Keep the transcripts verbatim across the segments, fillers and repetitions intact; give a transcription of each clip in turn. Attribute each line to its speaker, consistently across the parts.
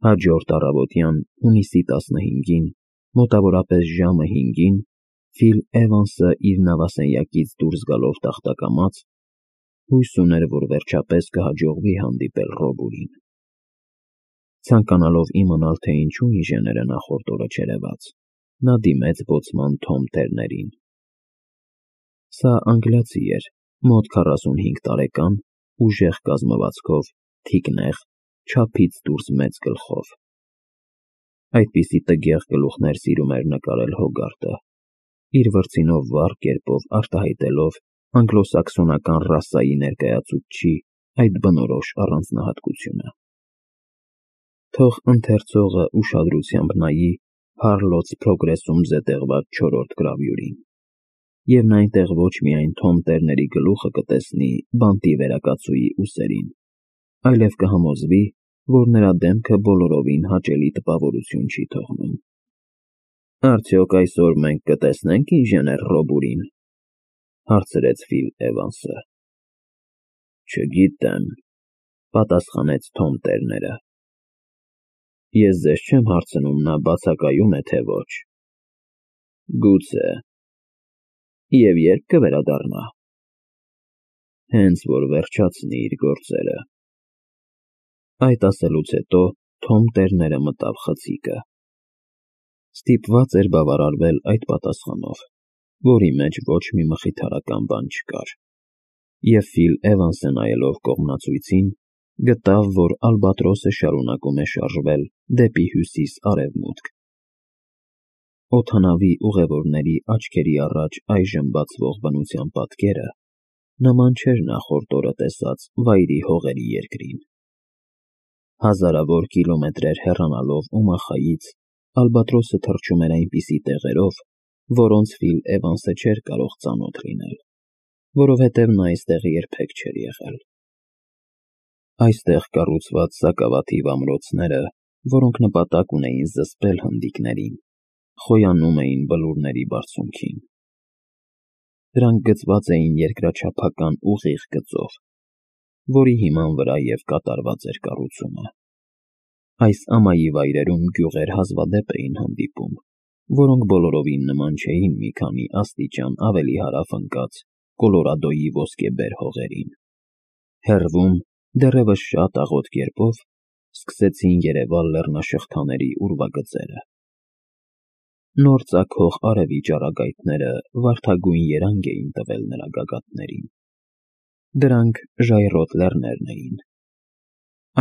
Speaker 1: Հաջորդ առավոտյան հունիսի տասնհինգին, մոտավորապես ժամը հինգին, Ֆիլ Էվանսը իր նավասենյակից դուրս գալով տախտակամաց, հույս ուներ, որ վերջապես կհաջողվի հանդիպել Ռոբուրին։ Ցանկանալով իմանալ, թե ինչու ինժեները նախորդ օրը չերևաց, նա դիմեց բոցման Թոմ Թերներին։ Սա անգլիացի էր, մոտ քառասունհինգ տարեկան, ուժեղ կազմվածքով, թիկնեղ, չափից դուրս մեծ գլխով։ Այդպիսի տգեղ գլուխներ սիրում էր նկարել Հոգարտը, իր վրձինով վառ կերպով արտահայտելով անգլոսաքսոնական ռասայի ներկայացուցչի այդ բնորոշ առանձնահատկությունը։ Թող ընթերցողը ուշադրությամբ նայի Հարլոց Փրոգրեսում զետեղված չորրորդ գրավյուրին, և նա այնտեղ ոչ միայն Թոմ Տերների գլուխը կտեսնի բանտի վերակացուի ուսերին, այլև կհամոզվի, որ նրա դեմքը բոլորովին հաճելի տպավորություն չի թողնում։ «Արդյոք այսօր մենք կտեսնե՞նք ինժեներ Ռոբուրին», հարցրեց Ֆիլ Էվանսը։ «Չգիտեմ», պատասխանեց Թոմ Տերները։ «Ես ձեզ չեմ հարցնում նա բացակայում է, թե ոչ»։ «Գուցե»։ «Եվ ե՞րբ կվերադառնա»։ «Հենց որ վերջացնի իր գործերը»։ Այդ ասելուց հետո Թոմ Տերները մտավ խցիկը։ Ստիպված էր բավարարվել այդ պատասխանով, որի մեջ ոչ մի մխիթարական բան չկար, և Ֆիլ Էվանսը նայելով կողմնացույցին, գտավ, որ ալբատրոսը շարունակում է շարժվել դեպի հյուսիս֊արևմուտք։ Օդանավի ուղևորների աչքերի առաջ այժմ բացվող բնության պատկերը նման չէր նախորդ օրը տեսած Վայրի Հողերի երկրին։ Հազարավոր կիլոմետրեր հեռանալով Օմախայից, ալբատրոսը թռչում էր այնպիսի տեղերով, որոնց Ֆիլ Էվանսը չէր կարող ծանոթ լինել, որովհետև նա այստեղ երբեք չէր եղել։ Այստեղ կառուցված սակավաթիվ ամրոցները, որոնք նպատակ ունեին զսպել հնդիկներին, խոյանում էին բլուրների բարձունքին։ Դրանք գծված էին երկրաչափական ուղիղ գծով, որի հիման վրա և կատարված էր կառուցումը։ Այս ամայի վայրերում գյուղեր հազվադեպ էին հանդիպում, որոնք բոլորովին նման չէին մի քանի աստիճան ավելի հարավ ընկած Կոլորադոյի ոսկեբեր հողերին։ Հեռվում, դեռևս շատ աղոտ կերպով, սկսեցին երևալ լեռնաշղթաների ուրվագծերը։ Նոր ծագող արևի ճառագայթները վարդագույն երանգ էին տվել նրա գագաթներին։ Դրանք ժայռոտ լեռներն էին։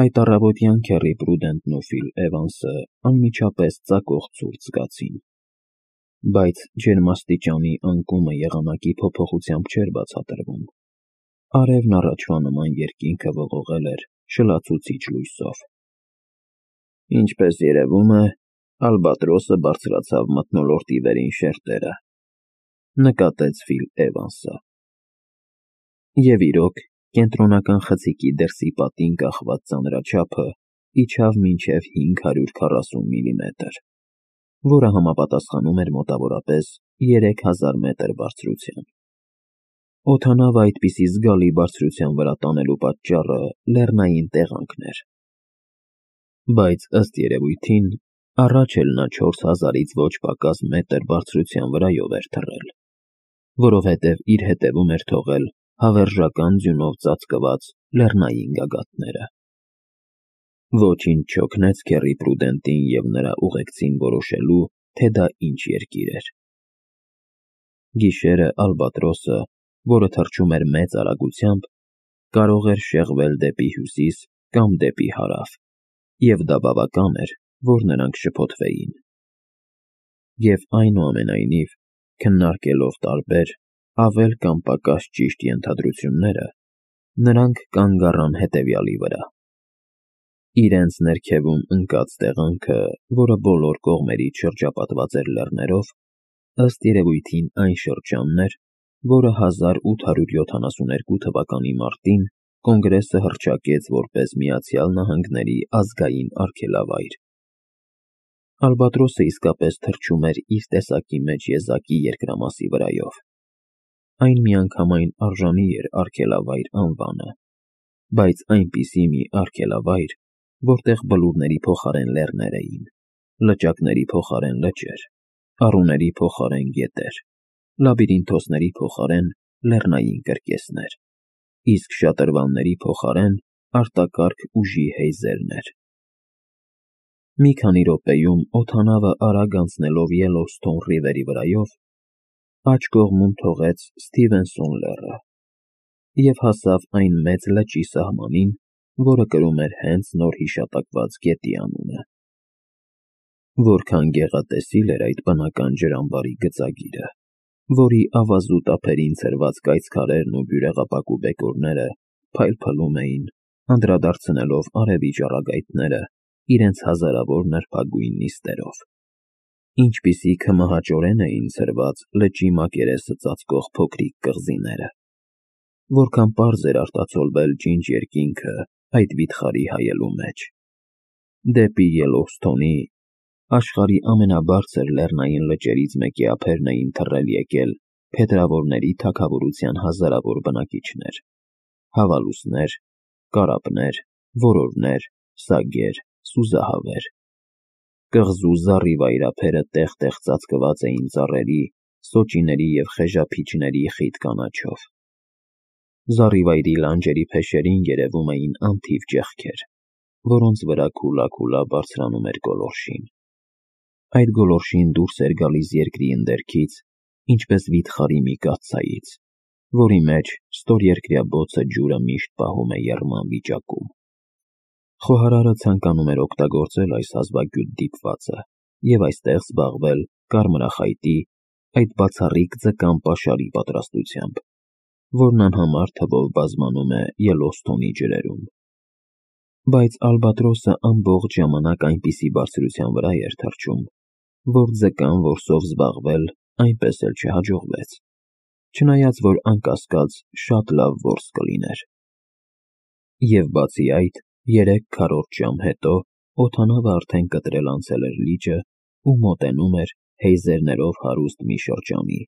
Speaker 1: Այդ առավոտյան Քեռի Պրուդենտն ու Ֆիլ Էվանսը անմիջապես ծակող ցուրտ զգացին, բայց ջերմաստիճանի անկումը եղանակի փոփոխությամբ չէր բացատրվում։ Արևն առաջվա նման երկինքը ողողել էր շլացուցիչ լույսով։ «Ինչպես երևում է, ալբատրոսը բարձրացավ մթնոլորտի վերին շերտերը», նկատեց Ֆիլ Էվանսը։ Եվ իրոք, կենտրոնական խցիկի դրսի պատին կախված ծանրաչափը իջավ մինչև հինգ հարյուր քառասուն միլիմետր, որը համապատասխանում էր մոտավորապես երեք հազար մետր բարձրության։ Օդանավը այդպիսի զգալի բարձրության վրա տանելու պատճառը լեռնային տեղանքն էր։ Բայց ըստ երևույթին, առաջ էլ նա չորս հազարից ոչ պակաս մետր բարձրության վրայով էր թռել, որովհետև իր հետևում էր թողել հավերժական ձյունով ծածկված լեռնային գագաթները։ Ոչինչ չօգնեց Քեռի Պրուդենտին և նրա ուղեկցին որոշելու, թե դա ինչ երկիր էր։ Գիշերը ալբատրոսը, որը թռչում էր մեծ արագությամբ, կարող էր շեղվել դեպի հյուսիս կամ դեպի հարավ, և դա բավական էր, որ նրանք շփոթվեին։ Եվ այնուամենայնիվ, քննարկելով տարբեր, ավել կամ պակաս ճիշտ ենթադրությունները, նրանք կանգ առան հետևյալի վրա. իրենց ներքևում ընկած տեղանքը, որը բոլոր կողմերից շրջապատված էր լեռներով, ըստ երևույթին այն շրջանն էր, որը հազար ութ հարյուր յոթանասունհինգ թվականի մարտին Կոնգրեսը հռչակեց որպես Միացյալ Նահանգների ազգային արգելավայր։ Ալբատրոսը իսկապես թռչում էր իր տեսակի մեջ եզակի երկրամասի վրայով։ Այն միանգամայն արժանի էր արգելավայր անվանը, բայց այնպիսի մի արգելավայր, որտեղ բլուրների փոխարեն լեռներ էին, լճակների փոխարեն լճեր, առուների փոխարեն գետեր, լաբիրինթոսների փոխարեն լեռնային կրկեսներ, իսկ շատրվանների փոխարեն արտակարգ ուժի հեյզերներ։ Մի քանի րոպեում օդանավը արագ անցնելով Ելլոուստոուն ռիվերի վրայով, աջ կողմում թողեց Սթիվենսոն լեռը և հասավ այն մեծ լճի սահմանին, որը կրում էր հենց նոր հիշատակված գետի անունը։ Որքան գեղատեսիլ էր այդ բնական ջրամբարի գծագիրը, որի ավազուտ ափերին ցրված կայծքարերն ու բյուրեղապակու բեկորները փայլփլում էին, անդրադարձնելով արևի ճառագայթները իրենց հազարավոր նրբագույն նիստերով, ինչպիսի քմահաճորեն էին ցրված լճի մակերեսը ծածկող փոքրիկ կղզիները, որքան պարզ էր արտացոլվել ջինջ երկինքը այդ վիթխարի հայելու մեջ։ Դեպի Ելլոուստոունի, աշխարհի ամենաբարձր լեռնային լճերից մեկի ափերն էին թռել եկել փետրավորների թագավորության հազարավոր բնակիչներ, հավալուսներ, կարապներ, որորներ, սագեր, սուզահավեր։ Կղզու զառիվայր ափերը տեղ-տեղ ծածկված էին ծառերի, սոճիների և խեժափիճների խիտ կանաչով։ Զառիվայրի լանջերի փեշերին երևում էին անթիվ ճեղքեր, որոնց վրա քուլա-քուլա բարձրանում էր գոլորշին։ Այդ գոլորշին դուրս էր գալիս երկրի ընդերքից, ինչպես վիթխարի մի կաթսայից, որի մեջ ստորերկրյա բոցը ջուրը միշտ պահում է եռման վիճակում։ Խոհարարը ցանկանում էր օգտագործել այս հազվագյուտ դիպվածը և այստեղ զբաղվել կարմրախայտի, այդ բացառիկ ձկան պաշարի պատրաստությամբ, որն անհամար թվով բազմանում է Ելլոուստոունի ջրերում։ Բայց ալբատրոսը ամբողջ ժամանակ այնպիսի բարձրության վրա էր թռչում, որ ձկան որսով զբաղվել այնպես էլ չհաջողվեց, չնայած որ անկասկած շատ լավ որս կլիներ։ Եվ բացի այդ, երեք քառորդ ժամ հետո օդանավը արդեն կտրել անցել էր լիճը ու մոտենում էր հեյզերներով հարուստ մի շրջանի,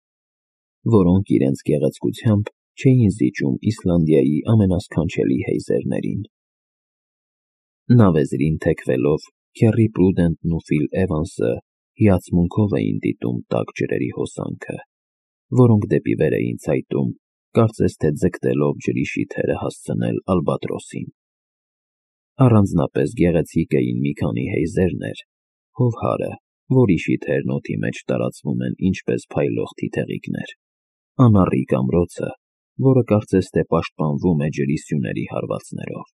Speaker 1: որոնք իրենց գեղեցկությամբ չէին զիջում Իսլանդիայի ամենասքանչելի հեյզերներին։ Նավեզրին թեքվելով, Քեռի Պրուդենտն ու Ֆիլ Էվանսը հիացմունքով էին դիտում տաք ջրերի հոսանքը, որոնք դեպի վեր էին ցայտում, կարծես թե ձգտելով ջրի շիթերը հասցնել ալբատրոսին։ Առանձնապես գեղեցիկ էին մի քանի հեյզերներ, հովհարը, որի շիթերն օդի մեջ տարածվում են ինչպես փայլող թիթեղիկներ, անառիկ ամրոցը, որը կարծես թե պաշտպանվում է ջրի սյուների հարվածներով,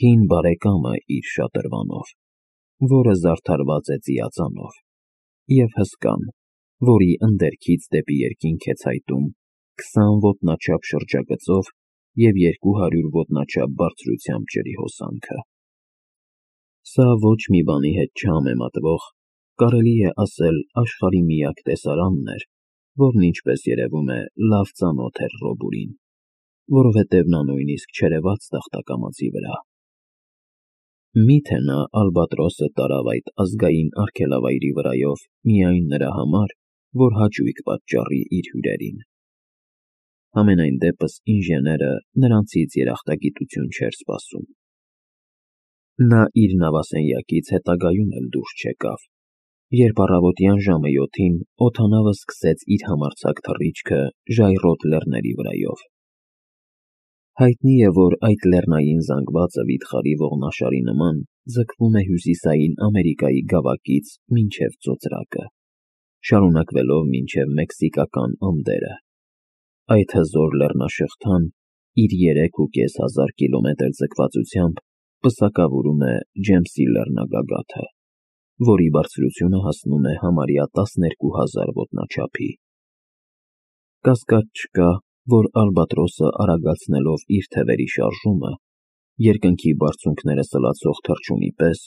Speaker 1: հին բարեկամը իր շատրվանով, որը զարդարված է ծիածանով, և հսկան, որի ընդերքից դեպի երկինք է ցայտում քսան ոտնաչափ շրջագծով և երկու հարյուր ոտնաչափ բարձրությամբ ջրի հոսանքը։ Սա ոչ մի բանի հետ չհամեմատվող, կարելի է ասել աշխարհի միակ տեսարանն էր, որն ինչպես երևում է լավ ծանոթ էր Ռոբուրին, որովհետև նա նույնիսկ չերևաց տախտակամածի վրա։ Մի՞թե նա ալբատրոսը տարավ այդ ազգային արգելավայրի վրայով միայն նրա համար, որ հաճույք պատճառի իր հյուրերին։ Համենայն դեպս ինժեները նրանցից երախտագիտություն չէր սպասում։ Նա իր նավասենյակից հետագայում էլ դուրս չեկավ, երբ առավոտյան ժամը յոթին օդանավը սկսեց իր համարձակ թռիչքը ժայռոտ լեռների վրայով։ Հայտնի է, որ այդ լեռնային զանգվածը վիթխարի ողնաշարի նման ձգվում է հյուսիսային Ամերիկայի գավակից մինչև ծոծրակը, շարունակվելով մինչև մեքսիկական Անդերը։ Այդ հզոր լեռնաշղթան իր երեք ու կես հազար կիլոմետր ձգվածությամբ պսակավորում է Ջեմսի լեռնագագաթը, որի բարձրությունը հասնում է համարյա տասներկու հազար ոտնաչափի։ Կասկած չկա, որ ալբատրոսը արագացնելով իր թևերի շարժումը, երկնքի բարձունքները սլացող թռչունի պես,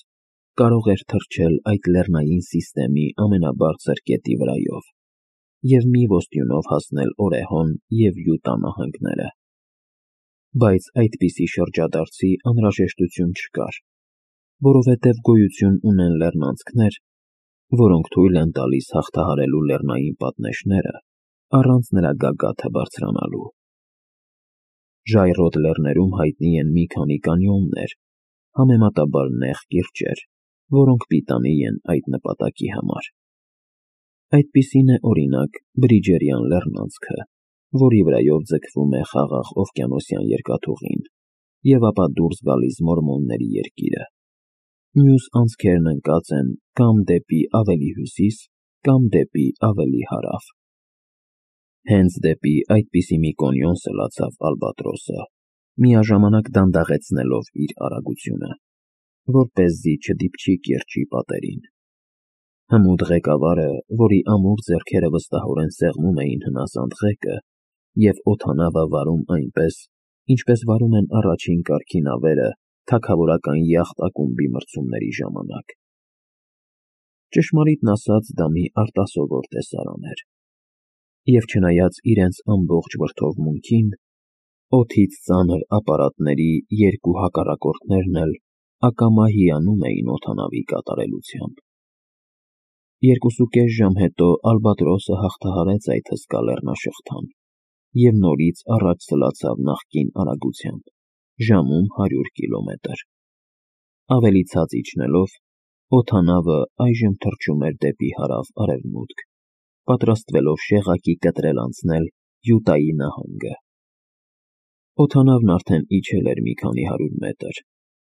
Speaker 1: կարող էր թռչել այդ լեռնային սիստեմի ամենաբարձր կետի վրայով և մի ոստյունով հասնել Օրեհոն և Յուտա նահանգները։ Բայց այդպիսի շրջադարձի անհրաժեշտություն չկար, որովհետև գոյություն ունեն լեռնանցքներ, որոնք թույլ են տալիս հաղթահարելու լեռնային պատնեշները առանց նրա գագաթը բարձրանալու։ Ժայռոտ լեռներում հայտնի են մի քանի կանյոններ, համեմատաբար նեղ կիրճեր, որոնք պիտանի են այդ նպատակի համար։ Այդպիսին է, օրինակ, Բրիջերյան լեռնանցքը, որի վրայով ձգվում է խաղաղ օվկիանոսյան երկաթուղին, և ապա դուրս գալիս Մորմոնների երկիրը։ Մյուս անցքերն ընկած են կամ դեպի ավելի հյուսիս, կամ դեպի ավելի հարավ։ Հենց դեպի այդպիսի մի կոնյուն սլացավ Ալբատրոսը, միաժամանակ դանդաղեցնելով իր արագությունը, որպեսզի չդիպչի կիրճի պատերին։ Հմուտ ղեկավարը, որի ամուր ձեռքերը վստահորեն սեղմում էին հնասանդ ղեկը, և օդանավը վարում այնպես, ինչպես վարում են առաջին կարգի նավերը թագավորական յախտ ակումբի մրցումների ժամանակ։ Ճշմարիտն ասած, դա մի արտասովոր տեսարան էր։ Եվ չնայած իրենց ամբողջ վրդովմունքին, օդից ծանր ապարատների երկու հակառակորդներն էլ ակամա հիանում էին օդանավի կատարելությամբ։ Երկուսուկես ժամ հետո Ալբատրոսը հաղթահարեց այդ հսկա լեռնաշղթան և նորից առաջ սլացավ նախկին արագությամբ, ժամում հարյուր կիլոմետր։ Ավելի ցած իջնելով, օդանավը այժմ թռչում էր դեպի հարավ-արևմուտք, պատրաստվելով շեղակի կտրել անցնել Յուտայի նահանգը։ Օդանավն արդեն իջել էր մի քանի հարյուր մետր,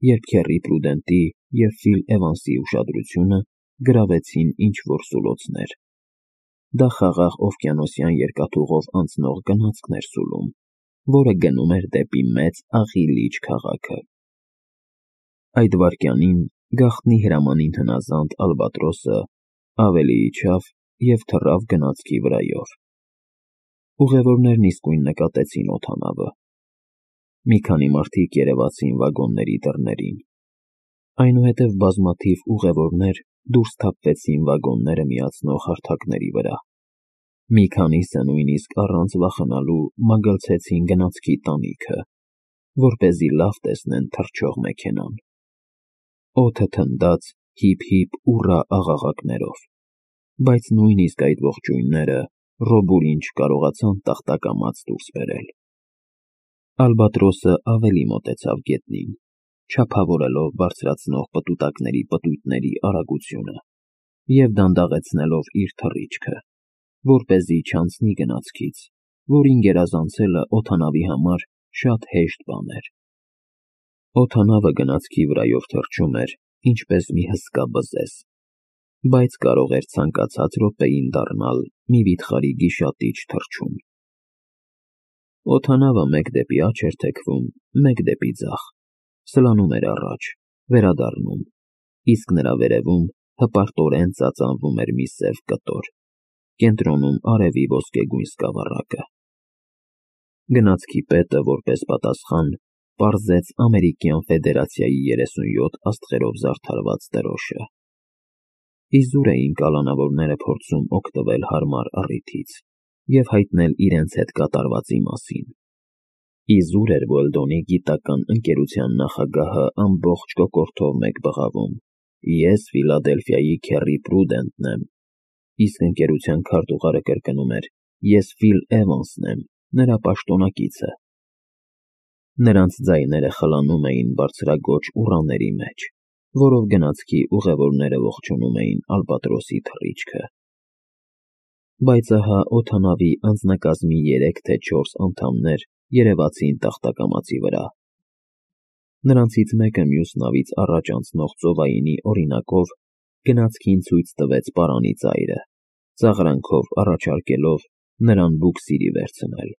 Speaker 1: երբ Քեռի Պրուդենտի և Ֆիլ Էվանսի ուշադրությունը գրավեցին ինչ-որ սուլոցներ։ Դա խաղաղ օվկիանոսյան երկաթուղով անցնող գնացքն էր սուլում, որը գնում էր դեպի Մեծ Աղի լիճ քաղաքը։ Այդ վայրկյանին գաղտնի հրամանին հնազանդ Ալբատրոսը ավելի իջավ և թռավ գնացքի վրայով։ Ուղևորներն իսկույն նկատեցին օդանավը։ Մի քանի մարդիկ երևացին վագոնների դռներին։ Այնուհետև բազմաթիվ ուղևորներ դուրս թափվեցին վագոնները միացնող հարթակների վրա։ Մի քանիսը նույնիսկ առանց վախենալու մագլցեցին գնացքի տանիքը, որպեսզի լավ տեսնեն թռչող մեքենան։ Օդը թնդաց հիփ-հիփ ուռա աղաղակներով, բայց նույնիսկ այդ ողջույնները Ռոբուրին չկարողացան տախտակամած դուրս բերել։ Ալբատրոսը ավելի մոտեցավ գետնին, չափավորելով բարձրացնող պտուտակների պտույտների արագությունը և դանդաղեցնելով իր թռիչքը, որպեսզի չանցնի գնացքից, որին գերազանցելը օդանավի համար շատ հեշտ բան էր։ Օդանավը գնացքի վրայով թռչում էր, ինչպես մի հսկա բզեզ, բայց կարող էր ցանկացած րոպեին դառնալ մի վիթխարի գիշատիչ թռչուն։ Օդանավը մեկ դեպի աջ էր թեքվում, մեկ դեպի ձախ, սլանում էր առաջ, վերադառնում, իսկ նրա վերևում հպարտորեն ծածանվում էր մի սև կտոր, կենտրոնում արևի ոսկեգույն սկավառակը։ Գնացքի պետը, որպես պատասխան, պարզեց Ամերիկյան Ֆեդերացիայի երեսունյոթ աստղերով զարդարված դրոշը։ Իզուր էին կալանավորները փորձում օգտվել հարմար առիթից և հայտնել իրենց հետ կատարվածի մասին։ Իզուր էր Ուելդոնի գիտական ընկերության նախագահը ամբողջ կոկորդով մեկ բղավում. «Ես Ֆիլադելֆիայի Քեռի Պրուդենտն եմ», իսկ ընկերության քարտուղարը կրկնում էր. «Ես Ֆիլ Էվանսն եմ, նրա պաշտոնակիցը»։ Նրանց ձայները խլանում էին բարձրաձոչ ուռաների մեջ, որով գնացքի ուղևորները ողջունում էին Ալբատրոսի թռիչքը։ Բայց ահա օդանավի անձնակազմի երեք թե չորս անդամներ երևացին տախտակամածի վրա։ Նրանցից մեկը մյուս նավից առաջ անցնող ծովայինի օրինակով գնացքին ցույց տվեց պարանի ծայրը, ծաղրանքով առաջարկելով նրան բուքսիրի վերցնել։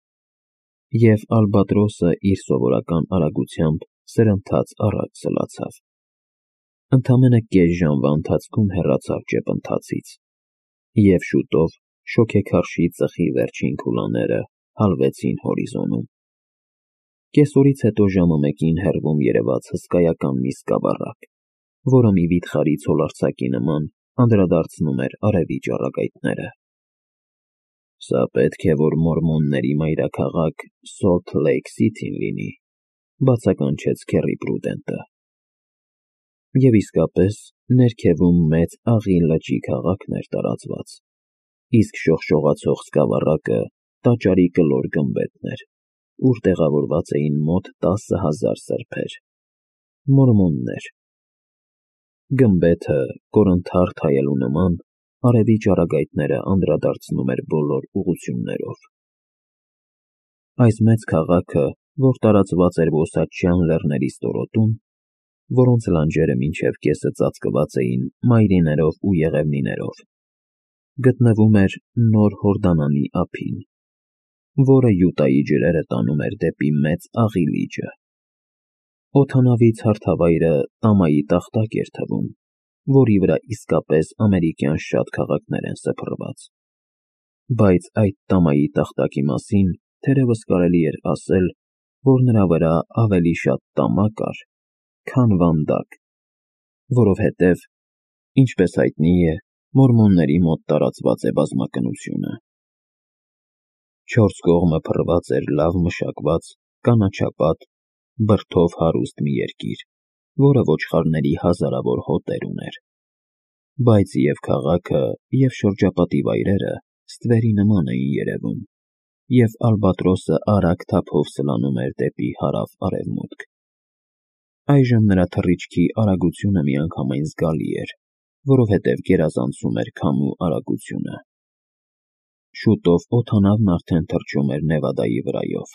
Speaker 1: Եվ Ալբատրոսը իր սովորական արագությամբ սրընթաց առաջ սլացավ։ Ընդամենը կես ժամվա ընթացքում հեռացավ ճեպընթացից, և շուտով շոգեքարշի ծխի վերջին քուլաները հալվեցին հորիզոնում։ Կեսօրից հետո ժամը մեկին հեռվում երևաց հսկայական մի սկավառակ, որը մի վիթխարի ցոլարձակի նման անդրադարձնում էր արևի ճառագայթները։ «Սա պետք է որ Մորմոնների մայրաքաղաք Սոլթ Լեյք Սիթին լինի», բացականչեց Քեռի Պրուդենտը։ Եվ իսկապես, ներքևում Մեծ Աղի լճի քաղաքն էր տարածված, իսկ շողշողացող սկավառակը տաճարի կլոր գմբեթն էր, ուր տեղավորված էին մոտ տասը հազար սրբեր։ Մորմոններ։ Գմբեթը կորնթարթ հայելու նման արևի ճառագայթները անդրադարձնում էր բոլոր ուղղություններով։ Այս մեծ քաղաքը, որ տարածված էր ոսատչյան լեռների ստորոտում, որոնց լանջերը մինչև կեսը ծածկված էին մայրիներով ու եղևնիներով, գտնվում էր Նոր Հորդանանի ափին, որը Յուտայի ջրերը տանում էր դեպի Մեծ Աղի լիճը։ Օդանավից հարթավայրը Տամայի տախտակ էր թվում, որի վրա իսկապես ամերիկյան շատ քաղաքներ են սփռված։ Բայց այդ Տամայի տախտակի մասին թերևս կարելի էր ասել, որ նրա վրա ավելի շատ տամա կար, քան վանդակ, որովհետև, ինչպես հայտնի է, մորմոնների մոտ տարածված է բազմակնությունը։ Չորս կողմը փռված էր լավ մշակված, կանաչապատ, բրդով հարուստ մի երկիր, որը ոչխարների հազարավոր հոտեր ուներ։ Բայց և քաղաքը, և շրջապատի վայրերը ստվերի նման էին երևում, և Ալբատրոսը արագ թափով սլանում էր դեպի հարավ֊արևմուտք։ Այժմ նրա թռիչքի արագությունը միանգամայն զգալի էր, որովհետև գերազանցում էր քամու արագությունը։ Շուտով օդանավն արդեն թռչում էր Նևադայի վրայով։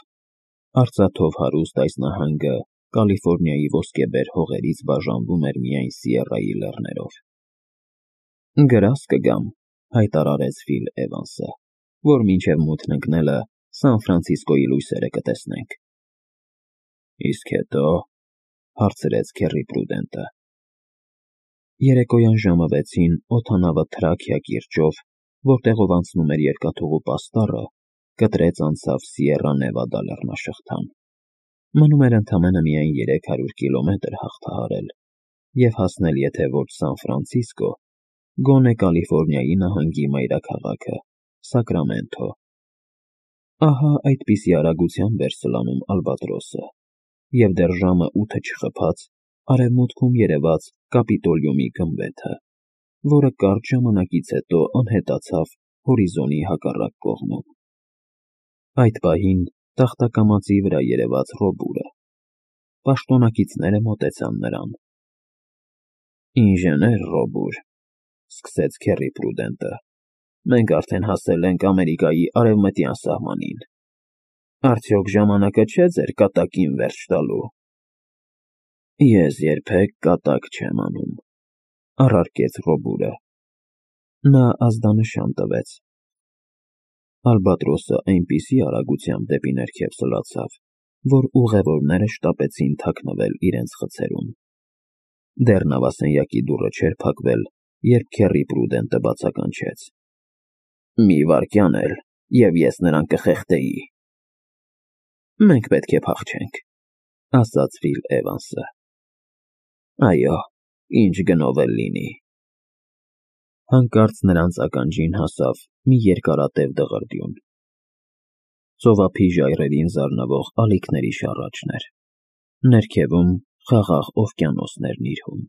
Speaker 1: Արծաթով հարուստ այս նահանգը Կալիֆոռնիայի ոսկեբեր հողերից բաժանվում էր միայն Սիերրայի լեռներով։ «Գրազ կգամ», հայտարարեց Ֆիլ Էվանսը, «որ մինչև մութն ընկնելը Սան Ֆրանցիսկոյի լույսերը կտեսնենք»։ «Իսկ հետո», հարցրեց Քեռի Պրուդենտը։ Երեկոյան ժամը վեցին օդանավը Թրաքիա կիրճով, որտեղով անցնում էր երկաթուղու պաստառը, կտրեց անցավ Սիերրա Նևադա լեռնաշղթան։ Մնում էր ընդամենը միայն երեք հարյուր կիլոմետր հաղթահարել և հասնել եթե ոչ Սան Ֆրանցիսկո, գոնե Կալիֆոռնիայի նահանգի մայրաքաղաքը՝ Սակրամենթո։ Ահա այդպիսի արագությամբ էր սլանում Ալբատրոսը, և դեռ ժամը ութը չխփած արևմուտքում երևաց Կապիտոլիումի գմբեթը, որը կարճ ժամանակից հետո անհետացավ հորիզոնի հակառակ կողմում։ Այդ պահին տախտակամածի վրա երևաց Ռոբուրը։ Պաշտոնակիցները մոտեցան նրան։ «Ինժեներ Ռոբուր», սկսեց Քեռի Պրուդենտը, «մենք արդեն հասել ենք Ամերիկայի արևմտյան սահմանին։ Արդյոք ժամանակը չէ ձեր կատակին վերջ տալու»։ «Ես երբեք կատակ չեմ անում», առարկեց Ռոբուրը։ Նա ազդանշան տվեց։ Ալբատրոսը այնպիսի արագությամբ դեպի ներքև սլացավ, որ ուղևորները շտապեցին թաքնվել իրենց խցերում։ Դեռ նավասենյակի դուռը չէր փակվել, երբ Քեռի Պրուդենտը բացականչեց. «Մի վայրկյան էլ, և ես նրան կխեղդեի»։ «Մենք պետք է փախչենք», ասաց Ֆիլ Էվանսը։ «Այո, ինչ գնով էլ լինի»։ Հանկարծ նրանց ականջին հասավ մի երկարատև դղրդյուն։ Ծովափի ժայռերին զարնվող ալիքների շառաչն էր։ Ներքևում խաղաղ օվկիանոսներն իր հում։